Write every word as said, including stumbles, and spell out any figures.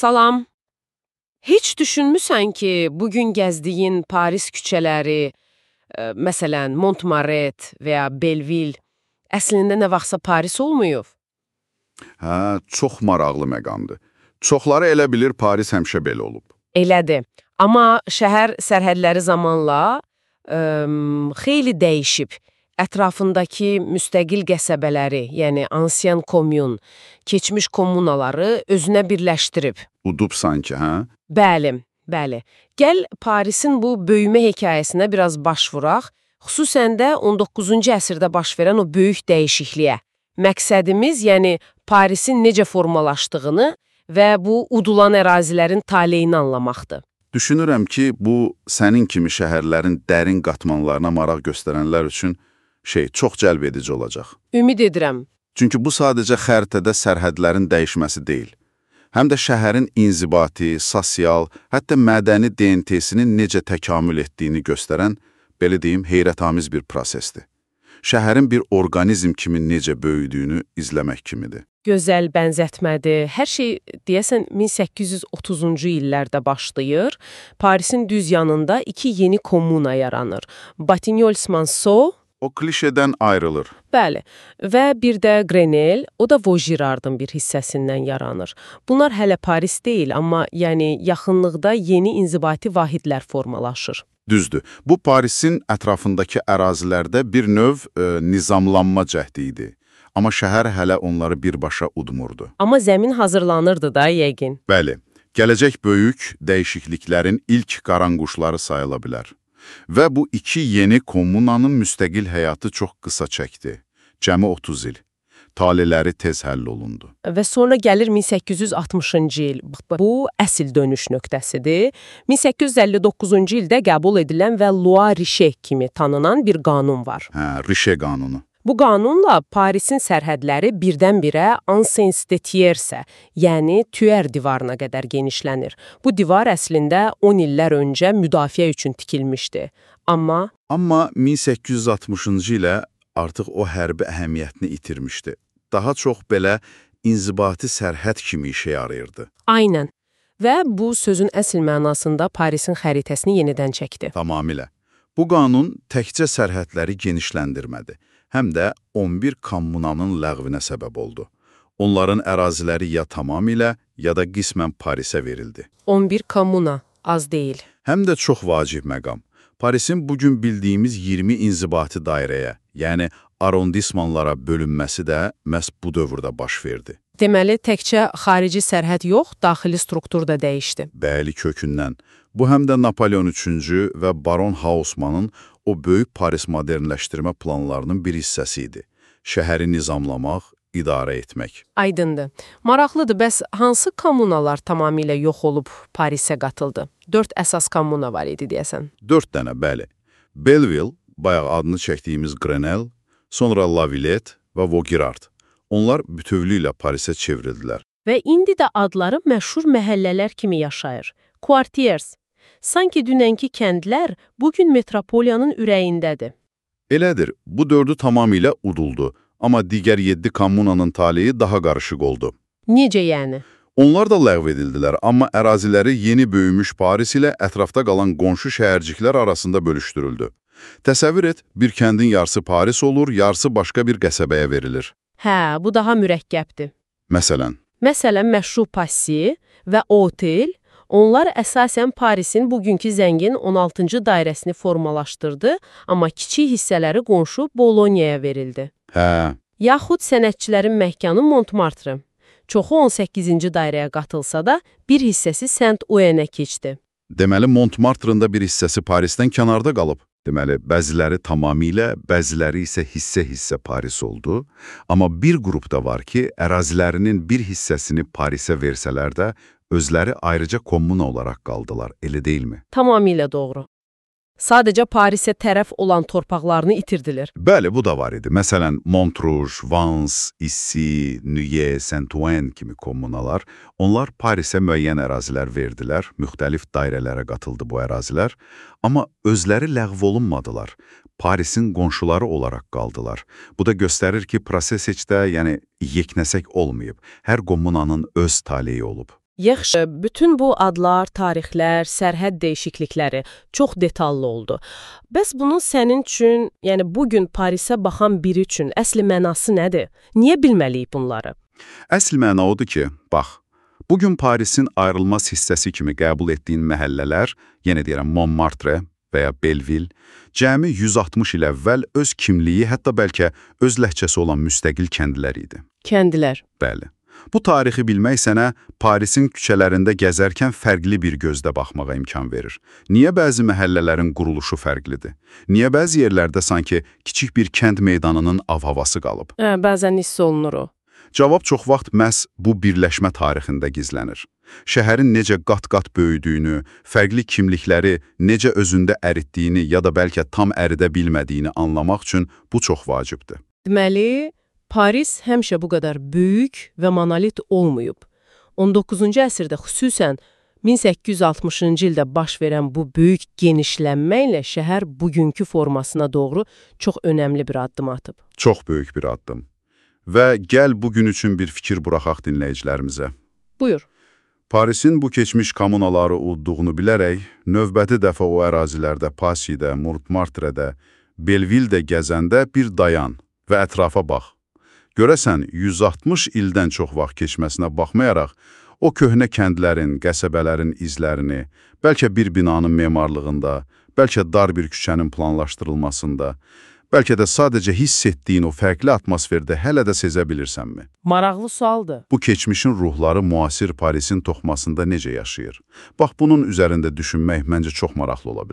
Salam. Heç düşünmüsən ki, bugün gəzdiyin Paris küçələri, e, məsələn, Montmartre və ya Belleville, əslində nə vaxtsa Paris olmayıb? Hə, çox maraqlı məqamdır. Çoxları elə bilir Paris həmişə belə olub. Elədir. Amma şəhər sərhədləri zamanla ə, xeyli dəyişib. Ətrafındakı müstəqil qəsəbələri, yəni ansien komyun, keçmiş kommunaları özünə birləşdirib. Udub sanki, hə? Bəli, bəli. Gəl Parisin bu böyümə hekayəsinə biraz baş vuraq, xüsusən də on doqquzuncu əsrdə baş verən o böyük dəyişikliyə. Məqsədimiz, yəni Parisin necə formalaşdığını və bu udulan ərazilərin taleyini anlamaqdır. Düşünürəm ki, bu sənin kimi şəhərlərin dərin qatmanlarına maraq göstərənlər üçün şey çox cəlb edici olacaq. Ümid edirəm. Çünki bu sadəcə xəritədə sərhədlərin dəyişməsi deyil. Həm də şəhərin inzibati, sosial, hətta mədəni D N T-sinin necə təkamül etdiyini göstərən, belə deyim, heyrətamiz bir prosesdir. Şəhərin bir orqanizm kimi necə böyüdüyünü izləmək kimidir. Gözəl bənzətmədir. Hər şey, deyəsən, min səkkiz yüz otuzuncu illərdə başlayır. Parisin düz yanında iki yeni komuna yaranır. Batignolles-Monceau, o klişedən ayrılır. Bəli, və bir də Grenelle, o da Vaugirardın bir hissəsindən yaranır. Bunlar hələ Paris deyil, amma yəni yaxınlıqda yeni inzibati vahidlər formalaşır. Düzdür. Bu Parisin ətrafındakı ərazilərdə bir növ e, nizamlanma cəhdi idi. Amma şəhər hələ onları birbaşa udmurdu. Amma zəmin hazırlanırdı da yəqin. Bəli, gələcək böyük dəyişikliklərin ilk qaranquşları sayıla bilər. Və bu iki yeni kommunanın müstəqil həyatı çox qısa çəkdi. Cəmi otuz il. Taleləri tez həll olundu. Və sonra gəlir min səkkiz yüz altmışıncı il. Bu, əsl dönüş nöqtəsidir. min səkkiz yüz əlli doqquzuncu ildə qəbul edilən və Loi Richet kimi tanınan bir qanun var. Hə, Richet qanunu. Bu qanunla Parisin sərhədləri birdən-birə Anse-Tiersə, yəni Tüer divarına qədər genişlənir. Bu divar əslində on illər öncə müdafiə üçün tikilmişdi. Amma... Amma min səkkiz yüz altmışıncı ilə artıq o hərbi əhəmiyyətini itirmişdi. Daha çox belə inzibati sərhəd kimi işə yarayırdı. Aynən. Və bu sözün əsl mənasında Parisin xəritəsini yenidən çəkdi. Tamamilə. Bu qanun təkcə sərhədləri genişləndirmədi. Həm də on bir kommunanın ləğvinə səbəb oldu. Onların əraziləri ya tamamilə, ya da qismən Parisə verildi. on bir kommuna, az deyil. Həm də çox vacib məqam. Parisin bugün bildiyimiz iyirmi inzibati dairəyə, yəni arondismanlara bölünməsi də məhz bu dövrdə baş verdi. Deməli, təkcə xarici sərhəd yox, daxili struktur da dəyişdi. Bəli, kökündən. Bu həm də Napoleon üçüncü və Baron Haussmannın o böyük Paris modernləşdirmə planlarının bir hissəsi idi. Şəhəri nizamlamaq, idarə etmək. Aydındır. Maraqlıdır, bəs hansı kommunalar tamamilə yox olub Parisə qatıldı? Dörd əsas kommuna var idi, deyəsən. Dörd dənə, bəli. Belleville, bayaq adını çəkdiyimiz Grenelle, sonra La Villette və Vaugirard. Onlar bütövlüklə Parisə çevrildilər. Və indi də adları məşhur məhəllələr kimi yaşayır. Quartiers. Sanki dünənki kəndlər bugün metropoliyanın ürəyindədir. Elədir, bu dördü tamamilə uduldu, amma digər yeddi kommunanın taleyi daha qarışıq oldu. Necə yəni? Onlar da ləğv edildilər, amma əraziləri yeni böyümüş Paris ilə ətrafda qalan qonşu şəhərciklər arasında bölüşdürüldü. Təsəvvür et, bir kəndin yarısı Paris olur, yarısı başqa bir qəsəbəyə verilir. Hə, bu daha mürəkkəbdir. Məsələn? Məsələn, məşhur Passy və Otel, onlar əsasən Parisin bugünkü zəngin on altıncı dairəsini formalaşdırdı, amma kiçik hissələri qonşu Bolonyaya verildi. Hə. Yaxud sənətçilərin məkanı Montmartre. Çoxu on səkkizinci dairəyə qatılsa da, bir hissəsi Saint-Ouen-ə keçdi. Deməli, Montmartre-ın da bir hissəsi Parisdən kənarda qalıb. Deməli, bəziləri tamamilə, bəziləri isə hissə-hissə Paris oldu. Amma bir qrup da var ki, ərazilərinin bir hissəsini Parisə versələr də, özləri ayrıca kommuna olaraq qaldılar, elə deyilmi? Tamamilə doğru. Sadəcə Parisə tərəf olan torpaqlarını itirdilir. Bəli, bu da var idi. Məsələn, Montrouge, Vans, Issy, Neuilly, Saint-Ouen kimi kommunalar, onlar Parisə müəyyən ərazilər verdilər, müxtəlif dairələrə qatıldı bu ərazilər, amma özləri ləğv olunmadılar. Parisin qonşuları olaraq qaldılar. Bu da göstərir ki, proses heç də, yəni, yeknəsək olmayıb. Hər kommunanın öz taleyi olub. Yaxşı, bütün bu adlar, tarixlər, sərhəd dəyişiklikləri çox detallı oldu. Bəs bunun sənin üçün, yəni bugün Parisə baxan biri üçün əsli mənası nədir? Niyə bilməliyik bunları? Əsl məna odur ki, bax, bugün Parisin ayrılmaz hissəsi kimi qəbul etdiyin məhəllələr, yenə deyirəm Montmartre və ya Belleville, cəmi yüz altmış il əvvəl öz kimliyi, hətta bəlkə öz ləhcəsi olan müstəqil kəndlər idi. Kəndlər. Bəli. Bu tarixi bilmək sənə Parisin küçələrində gəzərkən fərqli bir gözdə baxmağa imkan verir. Niyə bəzi məhəllələrin quruluşu fərqlidir? Niyə bəzi yerlərdə sanki kiçik bir kənd meydanının av-havası qalıb? Hə, bəzən hiss olunur o. Cavab çox vaxt məhz bu birləşmə tarixində gizlənir. Şəhərin necə qat-qat böyüdüyünü, fərqli kimlikləri necə özündə əritdiyini ya da bəlkə tam əridə bilmədiyini anlamaq üçün bu çox vacibdir. Deməli, Paris həmişə bu qədər böyük və monolit olmayıb. on doqquzuncu əsrdə xüsusən min səkkiz yüz altmışıncı ildə baş verən bu böyük genişlənmə ilə şəhər bugünkü formasına doğru çox önəmli bir addım atıb. Çox böyük bir addım. Və gəl bugün üçün bir fikir buraxaq dinləyicilərimizə. Buyur. Parisin bu keçmiş kommunaları udduğunu bilərək, növbəti dəfə o ərazilərdə Passy-də, Montmartre-də, Belleville-də gəzəndə bir dayan və ətrafa bax. Görəsən, yüz altmış ildən çox vaxt keçməsinə baxmayaraq, o köhnə kəndlərin, qəsəbələrin izlərini, bəlkə bir binanın memarlığında, bəlkə dar bir küçənin planlaşdırılmasında, bəlkə də sadəcə hiss etdiyin o fərqli atmosferdə hələ də sezə bilirsənmi? Maraqlı sualdır. Bu keçmişin ruhları müasir Parisin toxmasında necə yaşayır? Bax, bunun üzərində düşünmək məncə çox maraqlı ola bilər.